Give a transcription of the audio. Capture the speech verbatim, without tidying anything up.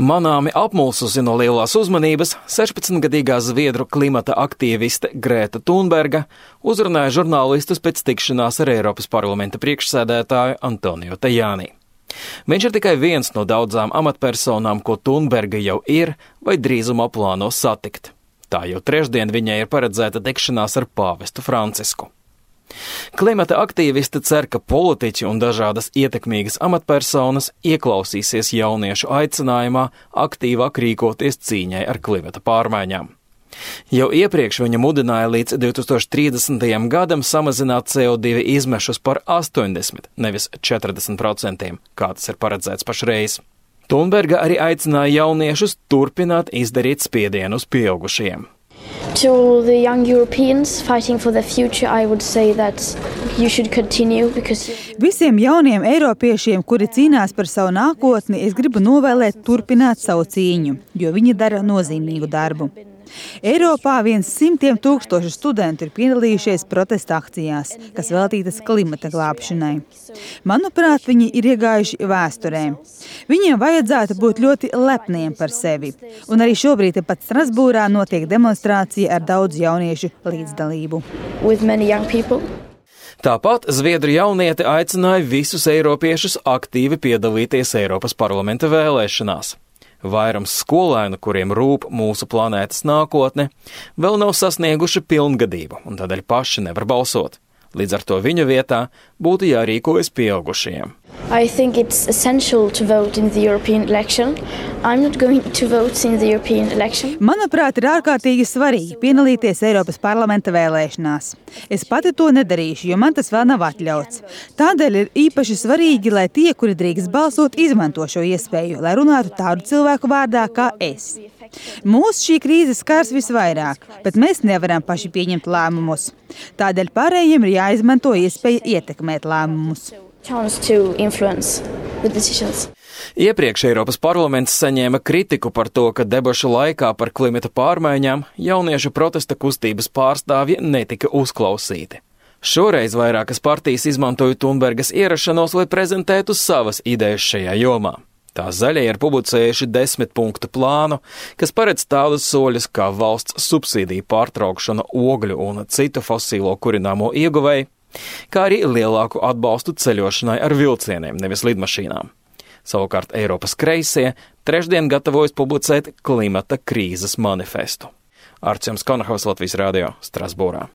Manāmi apmulsusi no lielās uzmanības, sešpadsmitgadīgā zviedru klimata aktīviste Grēta Thunberga uzrunāja žurnālistus pēc tikšanās ar Eiropas parlamenta priekšsēdētāju Antonio Tajani. Viņš ir tikai viens no daudzām amatpersonām, ko Thunberga jau ir vai drīzumā plāno satikt. Tā jau trešdien viņai ir paredzēta tikšanās ar pāvestu Francisku. Klimata aktīvisti cer, ka politiķi un dažādas ietekmīgas amatpersonas ieklausīsies jauniešu aicinājumā aktīvāk rīkoties cīņai ar klimata pārmaiņām. Jau iepriekš viņa mudināja līdz divi tūkstoši trīsdesmitajam gadam samazināt C O divi izmešus par astoņdesmit, nevis četrdesmit procentiem, kā tas ir paredzēts pašreiz. Thunberga arī aicināja jauniešus turpināt izdarīt spiedienu uz pieaugušajiem. To the young Europeans fighting for their future, I would say that you should continue because... Visiem jauniem eiropiešiem, kuri cīnās par savu nākotni, es gribu novēlēt turpināt savu cīņu, jo viņi dara nozīmīgu darbu. Eiropā viens simtiem tūkstošu studentu ir piedalījušies protesta akcijās, kas veltītas klimata glābšanai. Manuprāt, viņi ir iegājuši vēsturē. Viņiem vajadzētu būt ļoti lepniem par sevi. Un arī šobrīd pat Strasbūrā notiek demonstrācija ar daudz jauniešu līdzdalību. Tāpat zviedru jaunieti aicināja visus eiropiešus aktīvi piedalīties Eiropas parlamenta vēlēšanās. Vairums skolēnu, kuriem rūp mūsu planētas nākotne, vēl nav sasnieguši pilngadību un tādēļ paši nevar balsot. Līdz ar to viņu vietā būtu jārīkojas pieaugušajiem. I think it's essential to vote in the European election. I'm not going to vote in the European election. Manuprāt, ir ārkārtīgi svarīgi piedalīties Eiropas parlamenta vēlēšanās. Es pati to nedarīšu, jo man tas vēl nav atļauts. Tādēļ ir īpaši svarīgi, lai tie, kuri drīkst balsot, izmanto šo iespēju, lai runātu tādu cilvēku vārdā kā es. Mūs šī krīze skars visvairāk, bet mēs nevaram paši pieņemt lēmumus. Tādēļ pārējiem ir jāizmanto iespēja ietekmēt lēmumus. Iepriekš Eiropas parlaments saņēma kritiku par to, ka debašu laikā par klimata pārmaiņām jauniešu protesta kustības pārstāvji netika uzklausīti. Šoreiz vairākas partijas izmantoja Thunbergas ierašanos, lai prezentētu savas idejas šajā jomā. Tā zaļie ir publicējuši desmit punktu plānu, kas paredz tādus soļus kā valsts subsīdiju pārtraukšana ogļu un citu fosīlo kurināmo ieguvēju, kā arī lielāku atbalstu ceļošanai ar vilcieniem, nevis lidmašīnām. Savukārt Eiropas kreisie trešdien gatavojas publicēt klimata krīzes manifestu. Arčuns Konahaus, Latvijas radio, Strasbūrā.